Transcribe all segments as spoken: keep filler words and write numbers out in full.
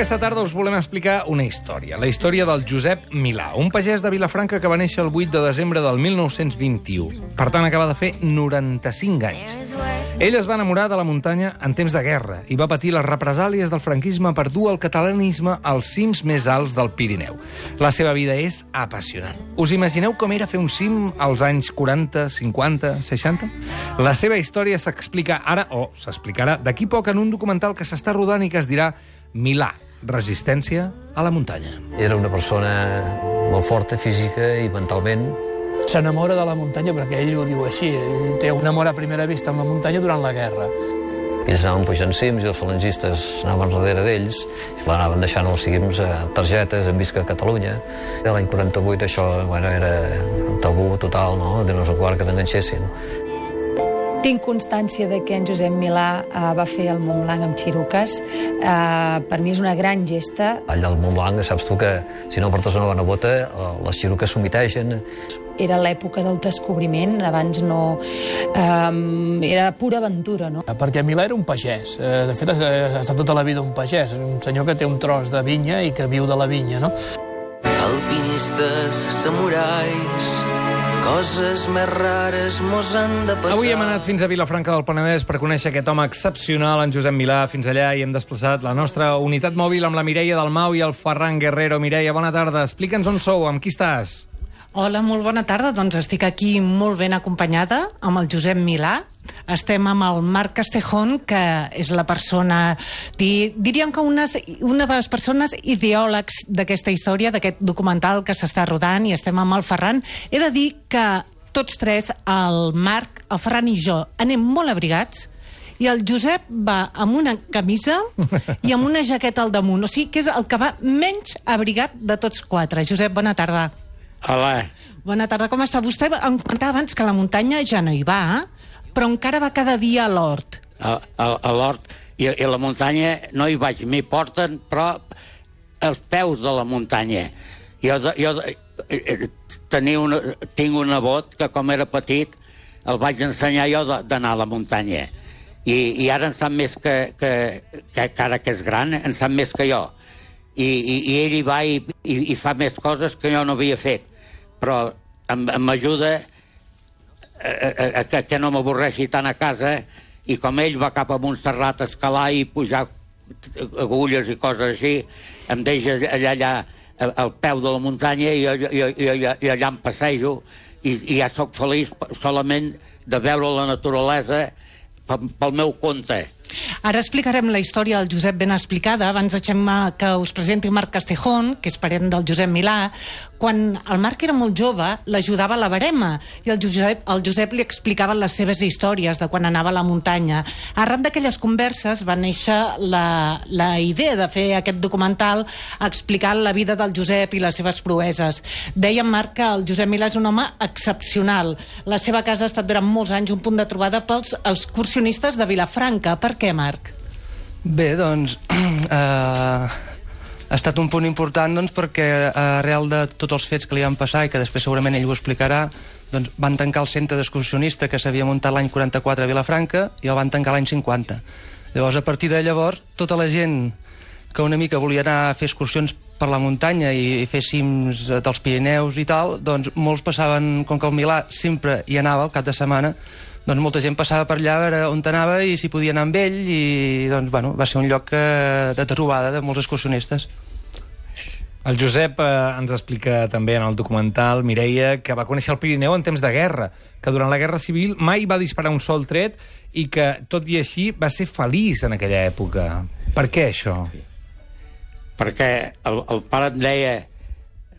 Aquesta tarda us volem explicar una història, la història del Josep Milà, un pagès de Vilafranca que va néixer el vuit de desembre del mil nou-cents vint-i-u. Per tant, acaba de fer noranta-cinc anys. Ell es va enamorar de la muntanya en temps de guerra i va patir les represàlies del franquisme per dur el catalanisme als cims més alts del Pirineu. La seva vida és apassionant. Us imagineu com era fer un cim als anys quaranta, cinquanta, seixanta? La seva història s'explica ara, o s'explicarà d'aquí poc en un documental que s'està rodant i que es dirà Milà, resistència a la muntanya. Era una persona molt forta física i mentalment. S'enamora de la muntanya perquè ell ho diu així. Ell té un amor a primera vista amb la muntanya durant la guerra. Ells anaven pujant cims i els falangistes anaven darrere d'ells i l'anaven deixant als cims targetes en visca a Catalunya. L'any quaranta-vuit això bueno, era un tabú total, no? De no sé quart que t'enganxessin. Tinc constància de que en Josep Milà uh, va fer el Mont Blanc amb xiruques. Uh, per mi és una gran gesta. Allà al Mont Blanc saps tu que si no portes una bona bota les xiruques s'humitegen. Era l'època del descobriment, abans no... Um, era pura aventura, no? Perquè Milà era un pagès. De fet, ha estat tota la vida un pagès. Un senyor que té un tros de vinya i que viu de la vinya, no? Alpinistes, samurais... coses més rares mos han de passar. Avui hem anat fins a Vilafranca del Penedès per conèixer aquest home excepcional, en Josep Milà. Fins allà i hem desplaçat la nostra unitat mòbil amb la Mireia Dalmau i el Ferran Guerrero. Mireia, bona tarda. Explica'ns on sou, amb qui estàs? Hola, molt bona tarda. Doncs estic aquí molt ben acompanyada amb el Josep Milà. Estem amb el Marc Castejón, que és la persona, di, diríem que una, una de les persones ideòlegs d'aquesta història, d'aquest documental que s'està rodant, i estem amb el Ferran. He de dir que tots tres, el Marc, el Ferran i jo, anem molt abrigats, i el Josep va amb una camisa i amb una jaqueta al damunt. O sigui que és el que va menys abrigat de tots quatre. Josep, bona tarda. Hola. Bona tarda, com està? Vostè em comentava abans que la muntanya ja no hi va, però encara va cada dia a l'hort. A, a, a l'hort. I, I la muntanya no hi vaig, m'hi porten, però als peus de la muntanya. Jo, jo tenia una, tinc un nebot que, com era petit, el vaig ensenyar jo d'anar a la muntanya. I, i ara en sap més que, que, que, que ara que és gran, en sap més que jo. I, i, i ell hi va i, i, i fa més coses que jo no havia fet. Però m'ajuda a, a, a que no m'avorreixi tant a casa, i com ell va cap a Montserrat a escalar i pujar agulles i coses així, em deixa allà, allà al peu de la muntanya i, i, i, i allà em passejo i, i ja sóc feliç solament de veure la naturalesa pel, pel meu compte. Ara explicarem la història del Josep ben explicada. Abans deixem que us presenti Marc Castejón, que és parent del Josep Milà. Quan el Marc era molt jove, l'ajudava a la verema, i el Josep, el Josep li explicava les seves històries de quan anava a la muntanya. Arran d'aquelles converses va néixer la, la idea de fer aquest documental explicant la vida del Josep i les seves proeses. Dèiem, Marc, que el Josep Milà és un home excepcional. La seva casa ha estat durant molts anys un punt de trobada pels excursionistes de Vilafranca. Per què, Marc? Bé, doncs... Eh, ha estat un punt important doncs, perquè arrel de tots els fets que li van passar i que després segurament ell ho explicarà, doncs, van tancar el centre d'excursionista que s'havia muntat l'any quaranta-quatre a Vilafranca i el van tancar l'any cinquanta. Llavors, a partir de llavors, tota la gent que una mica volia anar a fer excursions per la muntanya i fer cims dels Pirineus i tal, doncs molts passaven, com que el Milà sempre hi anava al cap de setmana, doncs molta gent passava per allà a veure on anava i si podia anar amb ell, i doncs, bueno, va ser un lloc de trobada de molts excursionistes. El Josep eh, ens explica també en el documental, Mireia, que va conèixer el Pirineu en temps de guerra, que durant la Guerra Civil mai va disparar un sol tret i que, tot i així, va ser feliç en aquella època. Per què això? Perquè el, el pare em deia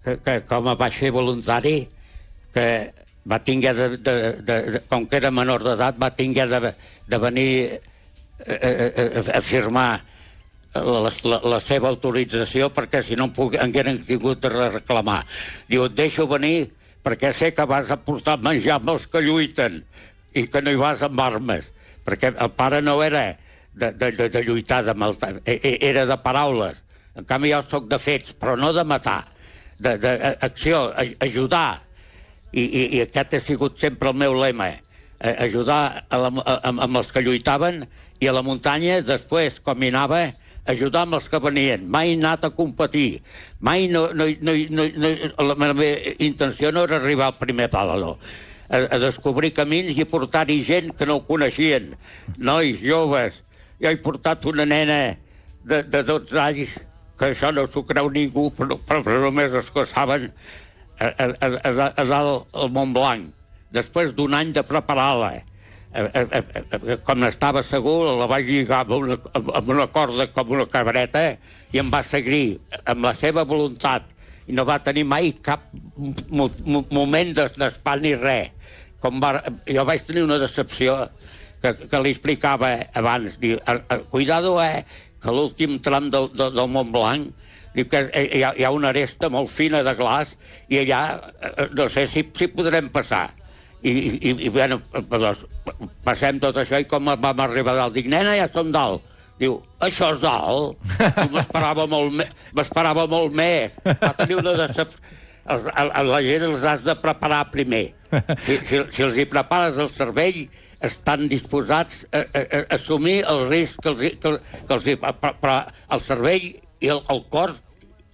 que, que com a vaig fer voluntari, que va tinguer de, de, de, de, com que era menor d'edat, va tinguer de, de venir a, a, a, a firmar la, la, la seva autorització, perquè si no em hagueren tingut de reclamar. Diu, et deixo venir perquè sé que vas a portar menjar amb els que lluiten i que no hi vas amb armes, perquè el pare no era de, de, de, de lluitar, de maltar, era de paraules. En canvi jo soc de fets, però no de matar, d'acció, ajudar. I, i, i aquest ha sigut sempre el meu lema, ajudar a la, a, amb els que lluitaven, i a la muntanya després, com hi anava, ajudar amb els que venien, mai he anat a competir, mai no, no, no, no, no la meva intenció no era arribar al primer pal, no. A, a descobrir camins i portar-hi gent que no ho coneixien, nois, joves. Jo he portat una nena de, de dotze anys, que això no s'ho creu ningú, però, però, però només els que saben, a, a, a, a dalt al Montblanc, després d'un any de preparar-la. Com estava segur, la vaig lligar amb una, amb una corda com una cabreta i em va seguir amb la seva voluntat i no va tenir mai cap mo moment d'espant ni res. Com va, jo vaig tenir una decepció que, que li explicava abans. Diu, cuidado, eh, que l'últim tram del, del, del Montblanc diu que hi ha, hi ha una aresta molt fina de glaç i allà no sé si, si podrem passar. I, i, i bueno, doncs, passem tot això i com vam arribar dalt. Dic, nena, ja som dalt. Diu, això és dalt? M'esperava molt, me m'esperava molt més. Va tenir una decepció. La gent els has de preparar primer. Si, si, si els hi prepares el cervell, estan disposats a, a, a assumir el risc que els, que, que els hi... Però el cervell i el, el cor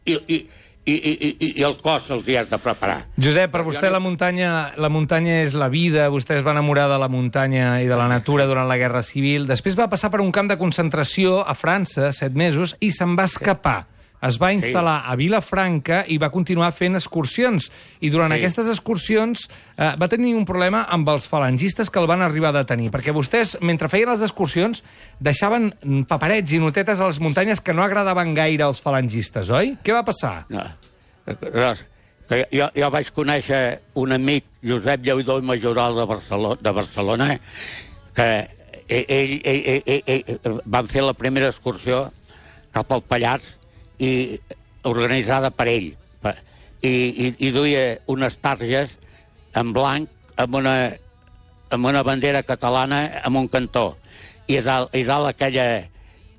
i, i, I, i, i el cos els hi has de preparar. Josep, per vostè la muntanya, la muntanya és la vida, vostè es va enamorar de la muntanya i de la natura durant la Guerra Civil, després va passar per un camp de concentració a França, set mesos, i se'n va escapar. Es va instal·lar a Vilafranca i va continuar fent excursions. I durant sí. aquestes excursions eh, va tenir un problema amb els falangistes que el van arribar a detenir, perquè vostès, mentre feien les excursions, deixaven paperets i notetes a les muntanyes que no agradaven gaire als falangistes, oi? Què va passar? No. Jo, jo vaig conèixer un amic, Josep Lleudó i Majoral de Barcelona, de Barcelona que ell, ell, ell, ell, ell van fer la primera excursió cap al Pallars i organitzada per ell. I, i, i duia unes targes en blanc amb una, amb una bandera catalana amb un cantó. I a dalt, i dalt aquella,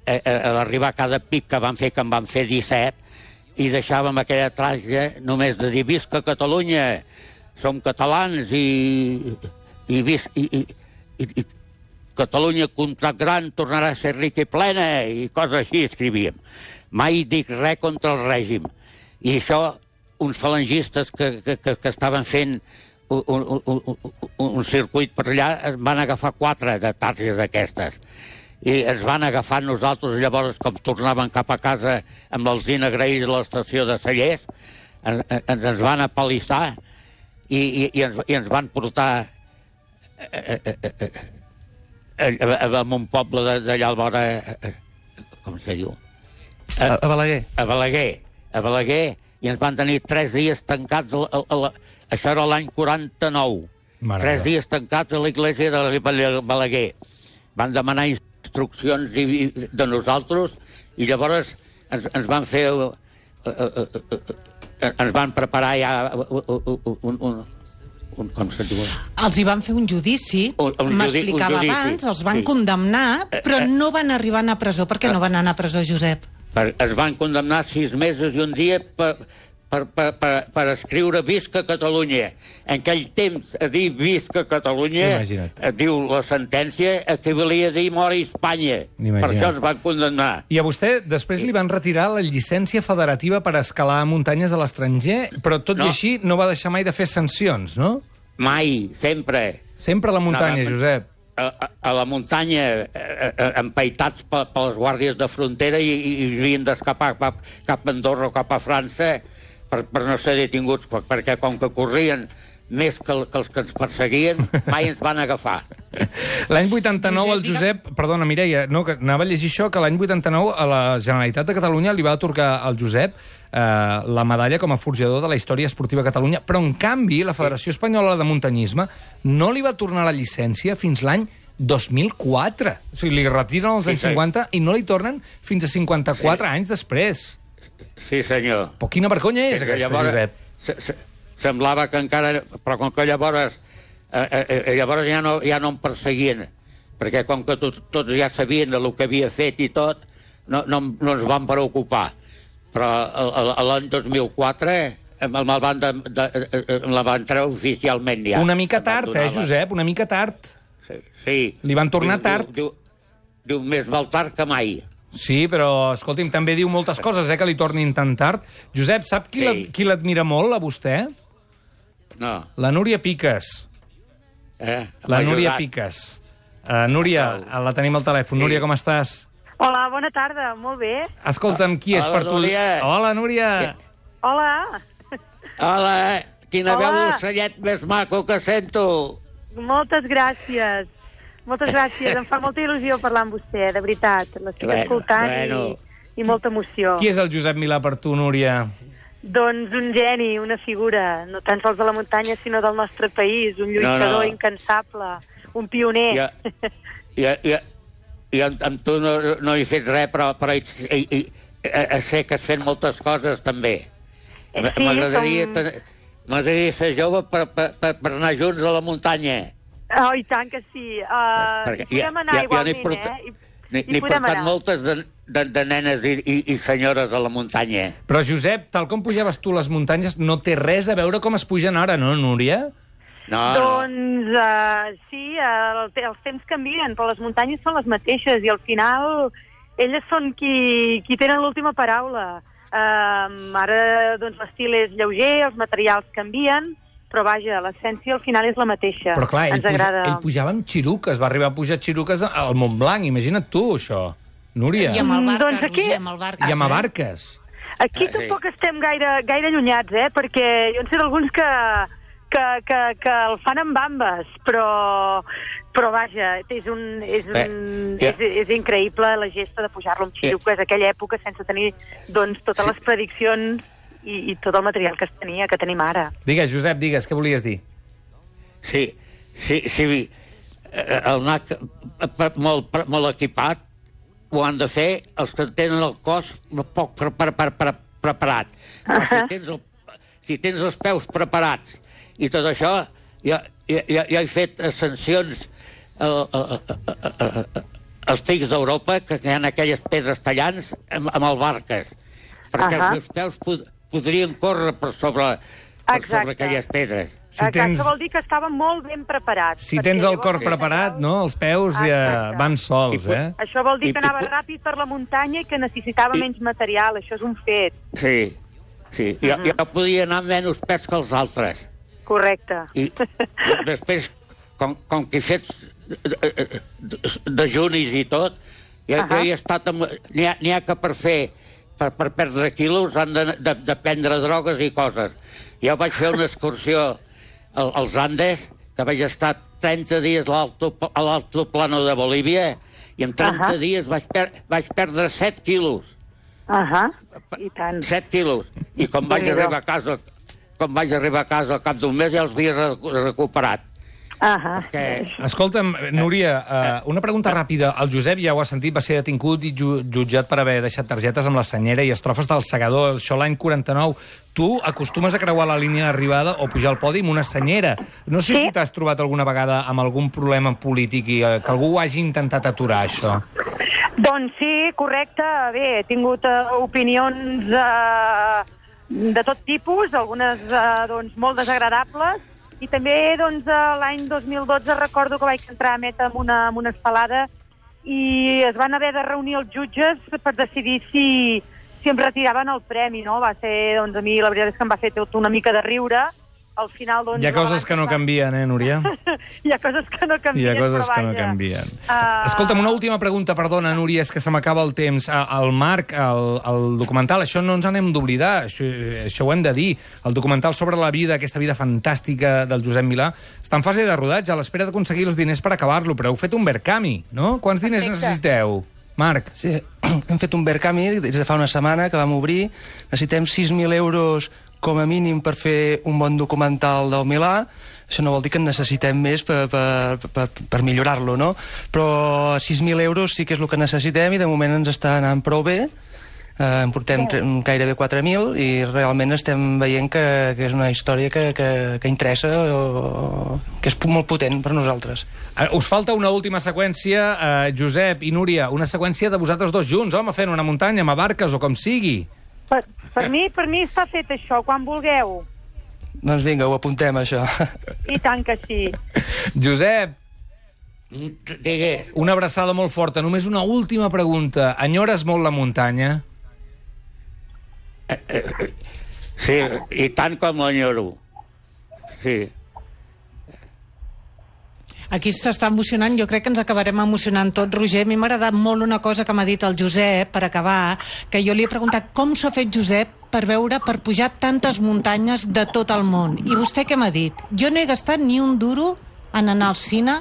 a, a l'arribar a cada pic que van fer, que en van fer disset, i deixàvem aquella tarja només de dir visca Catalunya, som catalans i, i, vis, i, i, i, i Catalunya contra gran tornarà a ser rica i plena, i coses així escrivíem. Mai dic res contra el règim. I això, uns falangistes que, que, que, que estaven fent un, un, un, un circuit per allà, es van agafar quatre de targes d'aquestes. I ens van agafar nosaltres, llavors, com tornaven cap a casa amb l'Alzina Graells a l'estació de Cellers, ens, ens van apalissar i, i, i, ens, i ens van portar a, a, a, a, a un poble d'allà al vora, com se diu? A, a Balaguer. A Balaguer. A Balaguer. I ens van tenir tres dies tancats. A, a, a la... Això era l'any quaranta-nou. Mare tres dies tancats a l'església de Balaguer. Van demanar instruccions i, i, de nosaltres i llavors ens, ens van fer... Uh, uh, uh, uh, ens van preparar ja un... un, un com se diu? Els hi van fer un judici, m'explicava abans, els van sí. condemnar, però no van arribar a anar a presó. Per què no van anar a presó, Josep? Per, es van condemnar sis mesos i un dia per, per, per, per, per escriure Visca Catalunya. En aquell temps, a dir Visca Catalunya, sí, diu la sentència, equivalia a dir Mori Espanya. Imagina't. Per això es van condemnar. I a vostè després li van retirar la llicència federativa per escalar muntanyes a l'estranger, però tot no. i així no va deixar mai de fer sancions, no? Mai, sempre. Sempre a la muntanya, no, Josep. A, a la muntanya, empaitats per, per les guàrdies de frontera i, i, i havien d'escapar cap, cap a Andorra o cap a França per, per no ser detinguts, perquè com que corrien més que, que els que ens perseguien, mai ens van agafar. L'any vuitanta-nou el Josep... Perdona, Mireia, no, que anava a llegir això, que l'any vuitanta-nou a la Generalitat de Catalunya li va atorgar al Josep eh, la medalla com a forjador de la història esportiva a Catalunya, però en canvi la Federació Espanyola de Muntanyisme no li va tornar la llicència fins l'any dos mil quatre. O sigui, li retiren als anys sí, cinquanta i no li tornen fins a cinquanta-quatre sí. anys després. Sí, senyor. Però quina vergonya és sí, aquesta, llavors, Josep? Se, se, semblava que encara... Però com que llavors... Eh, eh, llavors ja no, ja no em perseguien, perquè com que tot, tots ja sabien el que havia fet i tot, no, no, no ens van preocupar. Però l'any dos mil quatre me la van, de, de, de, la van treure oficialment ja. Una mica tard, eh, Josep? Una mica tard. Sí. sí. Li van tornar diu, tard. Diu, diu, diu, més val tard que mai. Sí, però, escolti'm, també diu moltes coses, eh, que li tornin tan tard. Josep, sap qui Sí. la- qui l'admira molt, a vostè? No. La Núria Piques. Eh? La M'ha Núria ajudat. Piques. Uh, Núria, la tenim al telèfon. Sí. Núria, com estàs? Hola, bona tarda, molt bé. Escolta'm, qui és Hola, per tu? Núria. Hola, Núria. Hola, Hola, quina Hola. veu d'ocellet més maco que sento. moltes gràcies. Moltes gràcies, em fa molta il·lusió parlar amb vostè, de veritat. L'estic Bueno, escoltant bueno. i, i molta emoció. Qui és el Josep Milà per tu, Núria? Doncs un geni, una figura, no tan sols de la muntanya, sinó del nostre país, un lluitador No, no. incansable, un pioner. Jo, jo, jo, jo amb, amb tu no, no he fet res, però, però hi, hi, hi, hi, sé que has fet moltes coses, també. Eh, M- sí, M'agradaria som- ten- m'agradaria ser jove per, per, per, per anar junts a la muntanya. Oh, i tant que sí. Uh, Perquè hi podem anar igualment, n'he portat, eh? I, n'he- hi n'he podem portat anar. moltes de, de, de nenes i, i, i senyores a la muntanya. Però, Josep, tal com pujaves tu les muntanyes, no té res a veure com es pugen ara, no, Núria? No, Doncs uh, sí, uh, el, els temps canvien, però les muntanyes són les mateixes i al final elles són qui, qui tenen l'última paraula. Uh, ara doncs, l'estil és lleuger, els materials canvien, però vaja, l'essència al final és la mateixa. Però clar, ell, Ens puja, agrada. ell pujava amb xiruques, va arribar a pujar xiruques al Montblanc, imagina't tu, això. Núria. I amb el barca, Doncs aquí- Roger, amb el barca. I amb barques. Aquí Ah, sí. tampoc estem gaire, gaire allunyats, eh? Perquè jo en sé d'alguns que, que, que, que el fan amb bambes, però, però vaja, és, un, és, un, Eh, ja. és, és increïble la gesta de pujar-lo amb xiruques, aquella època sense tenir doncs, totes Sí. les prediccions i, i tot el material que es tenia, que tenim ara. Digues, Josep, digues, què volies dir? Sí, sí, sí. eh, El N A C eh, molt, pre- molt equipat ho han de fer els que tenen el cos poc pre pre pre pre preparat. Però si, tens el, si tens els peus preparats i tot això, jo, jo, jo, jo he fet ascensions al- a- a- a- a- als pics d'Europa, que hi ha aquelles pedres tallants amb, amb el barques, perquè Ahà. els meus peus pod podrien córrer per sobre, per Exacte. sobre aquelles pedres. Si Exacte, tens- vol dir que estava molt ben preparat. Si perquè tens el llavors- cor preparat, no?, els peus ja Exacte. van sols, I- eh? Això vol dir I- que i- anava ràpid per la muntanya i que necessitava I- menys material, això és un fet. Sí, sí. Jo, jo podia anar amb menys pes que els altres. Correcte. I després, com, com que he fet dejunis i tot, jo, Ahà. jo he estat amb... N'hi ha, n'hi ha que per fer, per, per perdre quilos, han de, de, de prendre drogues i coses. Jo vaig fer una excursió al, als Andes, que vaig estar trenta dies a l'alto- a l'altoplano de Bolívia, i en trenta Ahà. dies vaig, per, vaig perdre set quilos. Ahà, i tant. set quilos. I quan vaig Déu-n'hi-do. arribar a casa, quan vaig arribar a casa al cap d'un mes ja els havia re- recuperat. Ahà. Que, Escolta'm, Núria, uh, una pregunta ràpida. El Josep, ja ho ha sentit, va ser detingut i ju jutjat per haver deixat targetes amb la senyera i estrofes del Segador, això l'any quaranta-nou. Tu acostumes a creuar la línia d'arribada o pujar al podi amb una senyera. No sé Sí. si t'has trobat alguna vegada amb algun problema polític i uh, que algú ho hagi intentat aturar, això. Doncs sí, correcte. Bé, he tingut uh, opinions uh, de tot tipus, algunes uh, doncs, molt desagradables, i també doncs, uh, l'any dos mil dotze recordo que vaig entrar a Meta amb una, amb una estelada i es van haver de reunir els jutges per decidir si, si em retiraven el premi, no? Va ser, doncs, a mi la veritat és que em va fer tot una mica de riure. Al final, doncs... Hi ha la coses balança que no va- canvien, eh, Núria? Hi ha coses que no Hi canvien, ha coses però que no vaja. canvien. Uh, Escolta'm, una última pregunta, perdona, Núria, és que se m'acaba el temps. Ah, El Marc, el, el documental, això no ens en hem d'oblidar, això, això ho hem de dir. El documental sobre la vida, aquesta vida fantàstica del Josep Milà, està en fase de rodatge, a l'espera d'aconseguir els diners per acabar-lo, però heu fet un Verkami, no? Quants diners Perfecte. necessiteu, Marc? Sí, hem fet un Verkami des de fa una setmana que vam obrir. Necessitem sis mil euros com a mínim per fer un bon documental del Milà. Això no vol dir que en necessitem més per, per, per, per millorar-lo, no? Però sis mil euros sí que és el que necessitem i de moment ens està anant prou bé. Eh, en portem tre- gairebé quatre mil i realment estem veient que, que és una història que, que, que interessa o, que és molt potent per nosaltres. Eh, Us falta una última seqüència, eh, Josep i Núria, una seqüència de vosaltres dos junts, home, fent una muntanya amb barques o com sigui. Per, per, mi, per mi està fet això, quan vulgueu. Doncs vinga, ho apuntem, això. I tant que sí. Josep, Digues. Una abraçada molt forta. Només una última pregunta. Enyores molt la muntanya? Eh, eh, sí, i tant com l'enyoro. Sí. Aquí s'està emocionant, jo crec que ens acabarem emocionant tots. Roger, a mi m'ha agradat molt una cosa que m'ha dit el Josep, per acabar, que jo li he preguntat com s'ha fet Josep per veure, per pujar tantes muntanyes de tot el món. I vostè què m'ha dit? Jo no he gastat ni un duro en anar al cine.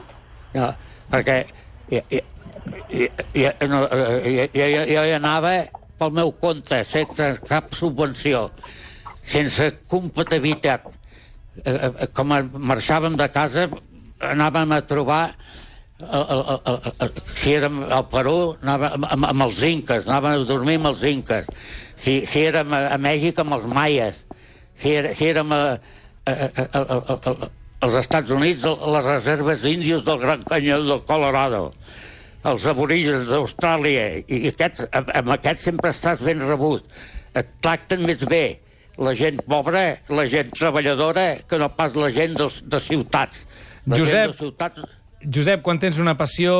No, perquè jo, jo, jo, no, jo, jo, jo hi anava pel meu compte, sense cap subvenció, sense compatibilitat. Com marxàvem de casa, anàvem a trobar, el, el, el, el, si érem al Perú, anàvem amb, amb els inques, anàvem a dormir amb els inques. Si, si érem a, a Mèxic, amb els maies. Si, era, si érem a, a, a, a, a, a, als Estats Units, a les reserves índies del Gran Canyó del Colorado, els aborígens d'Austràlia, i, i aquests, amb aquests sempre estàs ben rebut. Et tracten més bé la gent pobra, la gent treballadora, que no pas la gent dels, de ciutats. La Josep, gent de ciutats... Josep, quan tens una passió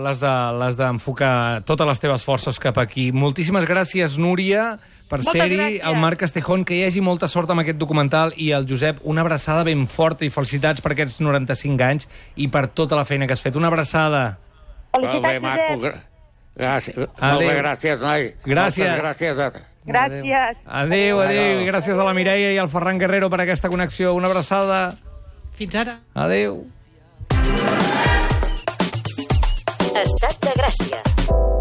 l'has d'enfocar de, totes les teves forces cap aquí. Moltíssimes gràcies, Núria, per ser-hi, el Marc Castejón, que hi hagi molta sort amb aquest documental, i el Josep, una abraçada ben forta i felicitats per aquests noranta-cinc anys i per tota la feina que has fet. Una abraçada. Felicitats, Josep. Gràcies. Molt bé, gràcies, noi. Gràcies. Moltes gràcies. Gràcies. Adéu, adéu. I gràcies a la Mireia i al Ferran Guerrero per aquesta connexió. Una abraçada. Fins ara. Adéu. Estat de Gràcia.